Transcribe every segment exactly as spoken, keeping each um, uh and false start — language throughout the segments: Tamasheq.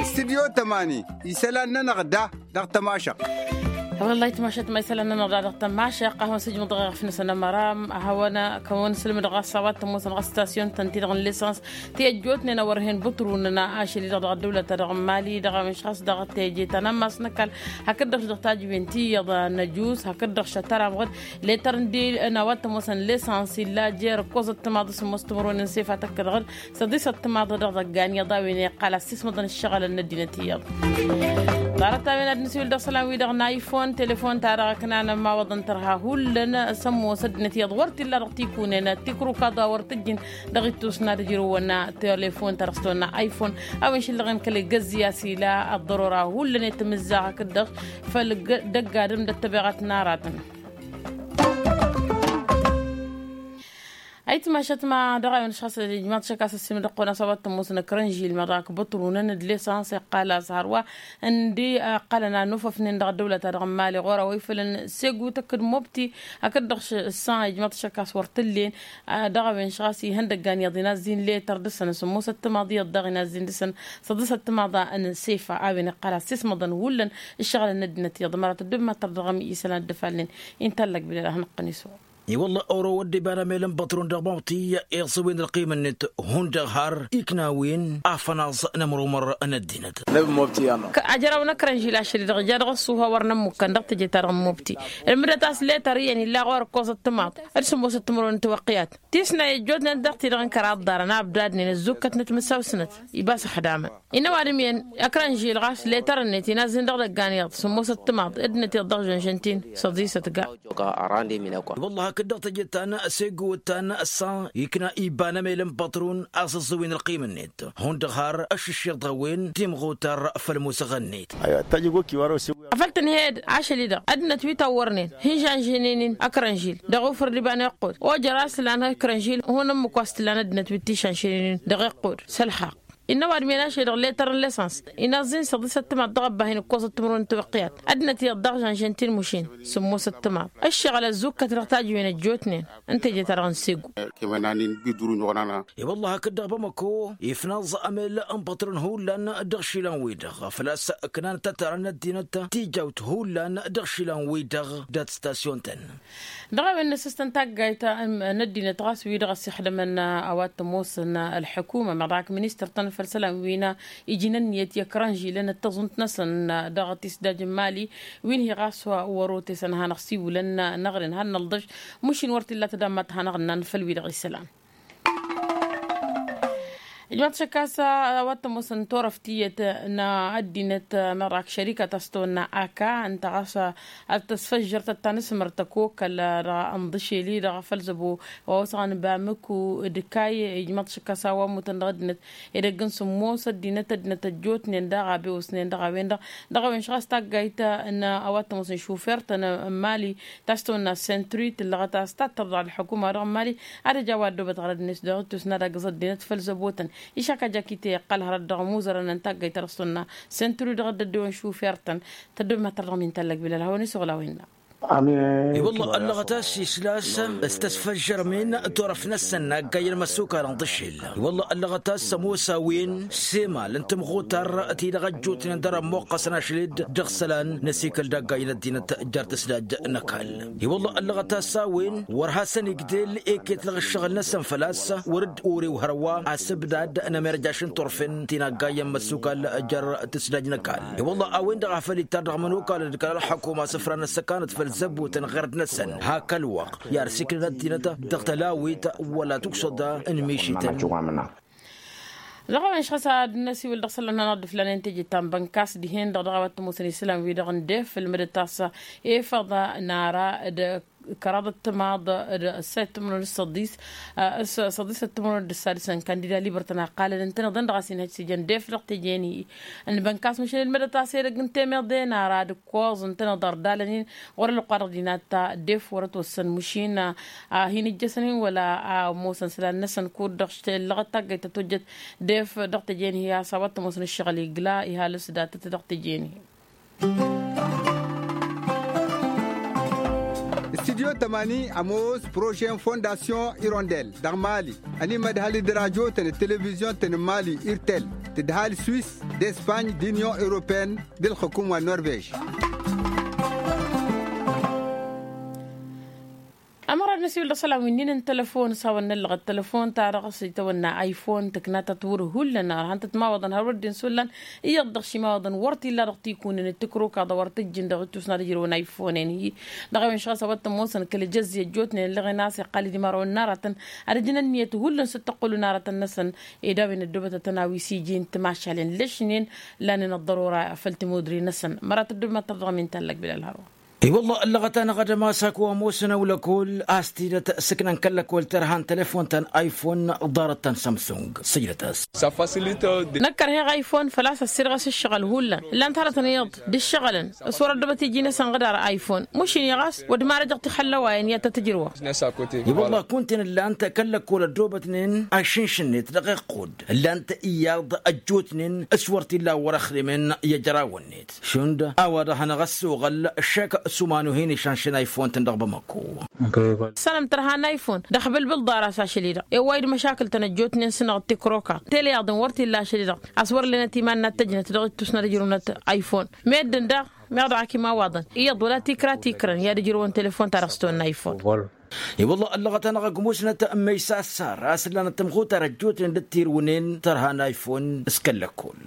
Stidyo tămani isălan-nănăɣ da dăɣ-tămašăɣt. Wăllah itmašăt ma isălan-nănăɣ da dăɣ-tămašăɣt a-hawăn-sǝjmǝḍ dăɣ-eɣăf-năsăn ămăra a hawăn-kăwăn-sǝlmǝdăɣ ɣas a-wa t-ămoosăn ɣas stasyon-tăn-ti-dăɣ n-lesăns ti ăjjootnen a wăr hen bǝṭrunăn ašăl-i-dăɣ dăɣ-ăddăwlăt-ta-dăɣ n-mali dăɣ-a-wen š-ɣas dăɣ-teje ta n-ammas n-ăkall hakd-dăɣ-š dăɣ-tajǝwen ti iyyăḍ n-ăjus hakd-dăɣ-š ătăramɣăd letăr n-di n-a-wa t-ămoosăn lesăns illa jer-ǝkkoẓăt timaḍ s-ămoos timǝrwen n-sefa tăkk-dăɣ-dd săḍisăt timaḍ dăɣ-idăggan iyyăḍ a-wen iqqal a-s ismăḍăn ǝššăɣǝlăn n-ăddinăt iyyăḍ. Ḍarăt-a-wen ad-nǝsiwǝl dăɣ-isălan-wi-dăɣ n-ayfon telefon-ta-dăɣ ǝknan ămawăḍăn tărha hullan s-ămoos ăddinăt iyyăḍ wăr t-illa dăɣ-tikunen tikrukaḍ a wăr tǝjjǝn dăɣ-ittus n-ad-ǝjrǝwăn telefon-ta-dăɣ s-tăwănna ayfon a-wen šǝllăɣen kăl-egăzzǝy a-s ila ăḍḍărora hullan i-timǝzzaɣ hakd-dăɣ făll-dăgg-adǝm d-ăttăbeɣăt n-aratăn. Ayǝtmašăt ma dăɣ-a-wen ăšxas ijmaḍ šăkk a-s ăssiimǝd ăqqonas a-wa t-ămoosăn ăkrănžil meḍak bǝṭrunăn d-lesăns iqqal a-s hărwa ǝndi ăqqălăn anufăfnen dăɣ-ăddăwlăt-ta-dăɣ n-mali ɣur-a-wa ifălăn segu tăkk d-mobti hakd-dăɣ s-ǝssan ijmaḍ šăkk a-s wăr t-ǝllen. Dăɣ-a-wen š-ɣas ihăndăggan iyyăḍ inazzin letter dăɣ-săn s-ămoosăt timaḍ iyyăḍ daɣ inazzin dăɣ-săn săḍisăt timaḍa n-sefa a-wen iqqăl a-s ismăḍăn hullan ǝššăɣǝlăn n-ăddinăt iyyăḍ măra tăddob ma tărdăɣăm isălan dd-ăfalnen. Inta ăllăg bilăl a hanăɣ-tăn-iswăɣ. I-wălla oro wădden iba n-amel n-băṭrun dăɣ-mawti iẓǝwin ălqim-net hundăɣ har iknawen afănaẓ n-ămrumăr n-ăddinăt. Ajăraw n-ăkrănžil ašăl-i-dăɣ ija dăɣ-ăṣṣuha wăr nămmukkăn dăɣ-teje-ta-dăɣ n-mobti ǝlmǝdăt a-s letăr iyyăn illa ɣur-ăr ǝkkoẓăt timaḍ d-sǝmmosăt timǝrwen n-tiwăqqiyat tisnay ăjjootnen dăɣ-ti-dăɣ n-kăraḍ ḍarăn a ǝbdadnen ăzzukkătnăt mǝssaw-snăt. Iba s-ăxdamăn innă ăwadǝm-en ăkrănžil ɣas letăr-net inazzin dăɣ-idăggan iyyăḍ sǝmmosăt timaḍ ăddinăt iyyăḍ dăɣ-žănžăn-t-in săḍisăt ga. Wălla hakd-dăɣ teje ta n-segu ta n-ăssa ikna iba n-amel n-pătrun a-s ǝẓẓǝwin ălqim-net hundăɣ har ăššǝššiḍ dăɣ-a-wen timɣutar făll-musăɣ-net. Afăl tǝnhed ašăl-i-dăɣ ăddinăt wi tawwărnen hǝnžănžănen-in ăkrănžil dăɣ-ufǝr d-iba n-iqqud ojăr a-s tǝllan ăkrănžil hun ǝmmǝk wa s-tǝllan ăddinăt wi t-išănšănen-in dăɣ-iqqud. S-ălxaqq innă ăwadǝm-en ašăl-i-dăɣ letăr n-lesăns inaẓ-in săḍisăt timaḍ dăɣ-ăbbahin ǝkkoẓăt timǝrwen n-tiwăqqiyat ăddinăt iyyăḍ dăɣ-žănžăn-t-in mušin sǝmmosăt timaḍ ǝššăɣǝl ăzzukkăt dăɣ-tajǝwen ăjjootnen n-teje-ta-dăɣ n-segu. I-wălla hakd-dăɣ bamăko ifnaẓ amel n-pătrun hullan dăɣ-išilan-wi-dăɣ făl-a-s ǝknan tătara n-ăddinăt tijawt hullan dăɣ-išilan-wi-dăɣ dat-stasyon-tăn. Dăɣ-a-wen n-asǝstăn taggayt n-ăddinăt ɣas wi-dăɣ ăssixdămăn a-wa t-ămoosăn ălḥukuma meḍak ministăr-tăn făll-isălan wi n-ijǝn ǝnniyăt i-ăkrănžilăn d-taẓunt-năsăn dăɣ-tisdaj n-imali wi n-hi ɣas wăr-otesăn ad-hanăɣ-siwǝlăn năɣrǝn ad-nălḍăš. Mušin wăr t-illa tădammăt ad-hanăɣ-ǝnnan făll-wi-dăɣ isălan. Ijmaḍ šăkk a-s a-wa t-ămoosăn turăft tiyyăt n-ăddinăt meḍak šărika ta s-tăwănna aka ǝnta ɣas ad-tăsfăžžăr tăttanǝsmăr tăkokăl dăɣ-ănḍǝšel-i-dăɣ făll-zăbo wa osăɣăn bamǝku d-kayy. Ijmaḍ šăkk a-s a-wa ămmutăn dăɣ-ăddinăt edăgg n-sǝmmos ăddinăt ăddinăt ăjjootnen daɣ a bewăsnen dăɣ-a-wen-dăɣ dăɣ-a-wen š-ɣas taggayt n-a-wa t-ămoosăn šufer-tăn n-mali ta s-tăwănna sentru tǝllăɣăt a-s tattăr dăɣ-ălḥukuma dăɣ-mali ad-ăj a-wa ăddoobăt ɣărăd-net dăɣ-ittus n-ad-agǝẓ ăddinăt făll-zăbotăn išak a jakite iqqăl hărăt dăɣ-ămuzărăn n-taggăyt ta dăɣ-s tăwănna sentru dăɣ-dd-ăddewăn šufer-tăn. Tăddob ma tărdăɣ min tallăg bilăl hawăn-isăɣla a-wen-dăɣ. Ewălla ăllăɣăt a-s isla-s s-tăsfăžžărămen turăft-năsăn n-aggayyăn măssukal n-iḍǝššel. Ewălla ăllăɣăt a-s ămoos a-wen s-emal n-timɣutar-ti-dăɣ ăjjootnen dăr-ămmuqqăsăn ašăl-dd dăɣ-isălan n-asikăl d-aggayyăn ăddinăt jer-tǝsdaj n-ăkall. I-wălla ăllăɣăt a-s a-wen wăr hasăn-igdel eketlăɣ ǝššăɣǝl-năsăn făl-a-s wăr dd-orew hărwa asǝbdad n-emerjaš n-turfen ti n-aggayyăn măssukal jer-tǝsdaj n-ăkall. I-wălla a-wen-dăɣ a făl ittar dăɣ-imănokalăn d-kăla ălḥăkuma asǝfra n-ăssăkanăt făll-zăbutăn ɣărd-năsăn hak ălwăqq i-ad-siklăn ăddinăt dăɣ-tălawit wăla tuksăḍa n-mišităn. Dăɣ-a-wen š-ɣas ad-năsiwǝl dăɣ-isălan hanăɣ-dd-ǝflanen teje ta n-bănkas dihen-dăɣ dăɣ-a-wa t-ămoosăn isălan-wi-dăɣ n-def ǝlmǝdăt a-s efăḍ n-ara d-kăraḍăt timaḍ d-ăssayăt timǝrwen d-săḍis. S-săḍisăt timǝrwen d-ǝssadǝs n-kandida librătăn a ǝqqalăn ǝntăneḍ-en dăɣ-a-s inhăj teje n-def dăɣ-teje-en-hi. N-bănkas măšan ǝlmǝdăt a-s edăgg n-temeḍe n-ara d-ǝkkoẓ ǝntăneḍ ărdalăn-in ɣur-ălwăqq-wa-dăɣ dinat ta def wăr-ătwăssăn măšin a hin-ǝjjăsăn-in wăla a ămoosăn isălan-năsăn kud-dăɣ tellăɣăt taggayt ta tojjăt def dăɣ-teje-en-hi a-s a-wa t-ămoosăn ǝššăɣǝl igla ihalǝs datăt dăɣ-teje-en-hi. Studio tămani ămoos projet n-fondasyon irondel dăɣ-mali. Ănimădhal d-rajo-tăn d-televizyon-tăn n-mali irtel, tǝdhal swis, d-espany d-inyon europeyăn d-ǝlxǝkum wa n-norvej. Ămăra d-năsiwǝl dăɣ-isălan wi ǝnnin n-telăfon s-a-wa n-năllăɣăt telăfon-ta-dăɣ s-itawănna iphone tǝkna ta tǝwǝr hullan ărhan tăt-mawăḍăn har wăr dd-insullan. Iyyăḍ dăɣ-šimawăḍăn wăr t-illa dăɣ-tikunen d-tǝkrǝwkaḍa wăr tǝjjǝn dăɣ-ittusna d-ijrăwăn iphone-en-hi. Dăɣ-a-wen šăɣ-s a-wa t-ămoosăn kăl-ejăzzi ăjjootnen ǝllăɣen a-s iqqal-dd imărawăn n-aratăn ad-ǝjǝn ǝnniyăt hullan s-ăttăqqălun aratăn-năsăn. Ed a-wen ăddoobăt ad-tăn-awi s-iji n-timašalen lăšnen. Lanen ăḍḍărora făll-timudre-năsăn mărat ăddoobăt ma t-tărdăɣăm inta ăllăg bilal hărwa. I-wălla ăllăɣăt-anăɣ ad-ămass ak wa ămoosăn ăwlăkol a-s tidăt sǝknăn kăl-lăkol tărha n-telăfon ta n-iphone. Ḍarăt ta n-samsung sǝjdăt-as. Năkk ărheɣ iphone făl-a-s ăssirɣăs ǝššăɣǝl hullan ǝllan-t hărătăn iyyăḍ d-ǝššăɣǝlăn s-wăr-ăddobăt iji-năsăn ɣǝd ar iphone. Mušin iyyăɣ a-s wăr d-marăjăɣ tixăllăwayăn i-ad-tăt-ǝjrǝwăɣ. I-wălla kunta-en ǝllan-t kăl-lăkol ăddoobătnen ašǝnš-net dăɣ-iqqud ǝllan-t iyyăḍ ăjjootnen s-wăr t-illa wăr-ăxrimen i-ăjrawăn-net. Šund a-wa-dăɣ hanăɣ-ăssoɣăl šek s-umanuh-in išanšăn iphone-tăn dăɣ-bamăko. Sănăm tărha n-iphone dăɣ-bǝlbǝl ḍar-as ašăl-i-dăɣ i-wa dd-măšakǝl-tăn ăjjootnen s-năɣ d-tikroka tele iyyăḍ n-wăr t-illa ašăl-i-dăɣ. A-s wăr lenăt iman n-ad-tăjnăt dăɣ-ittus n-ad-ǝjrǝwnăt iphone meddǝn daɣ meɣ dăɣ-ak imawaḍăn iyyăḍ wăla tikra tikrăn i-ad-ǝjrǝwăn telefon-ta-dăɣ s-tăwănna iphone. I-wălla ăllăɣăt-anăɣ ăgg musnăt n-măysa ăssar a-s ǝllanăt tămxutar ăjjootnen d-tirwǝnen tărha n-iphone s-kăl-lăkkol.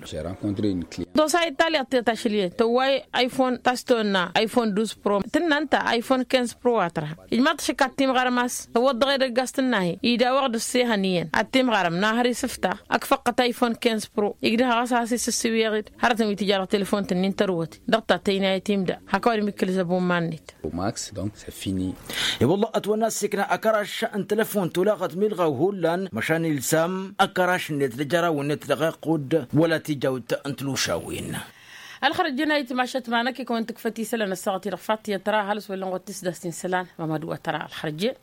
Dosa-i d-taliɣt tiyyăt ašăl iyyăn tăwway iphone ta s-tăwănna iphone duz pro tǝnna ǝnta iphone quinze pro wa tărha. Ijmaḍ-t šăkk ad-timɣarăm a-s ăwwăḍ dăɣ-edăgg a-s tǝnna-hi. Idawăɣ d-ǝssehăn iyyăn ad-timɣarăm n-ahăr isǝfta ăkk făqqăt iphone quinze pro igdăh ɣas a-s isǝssǝwweɣ-dd hărătăn wi tǝja dăɣ-telefon-tǝnnin tărwăt. Dăɣ-ta tăynayăt imda hak ăwadǝm ikkǝlǝz ăbumman-net. I-wălla ătwănna ăssiikna ăkăraš n-telăfon tolaɣăt milɣaw hullan măšan ilsam ăkăraš-net d-ajăraw-net dăɣ-iqqud wăla tijawt n-tilušawen. Ălxărăjjăn a itmašăt ma năkk i-kăwăn-tǝkfăt isălan ăssaɣăt-i-dăɣ fattiyăt tăra ăhalǝs wăllăn wăt tisdast-in isălan mamad wa tăra ălxărăjjăn.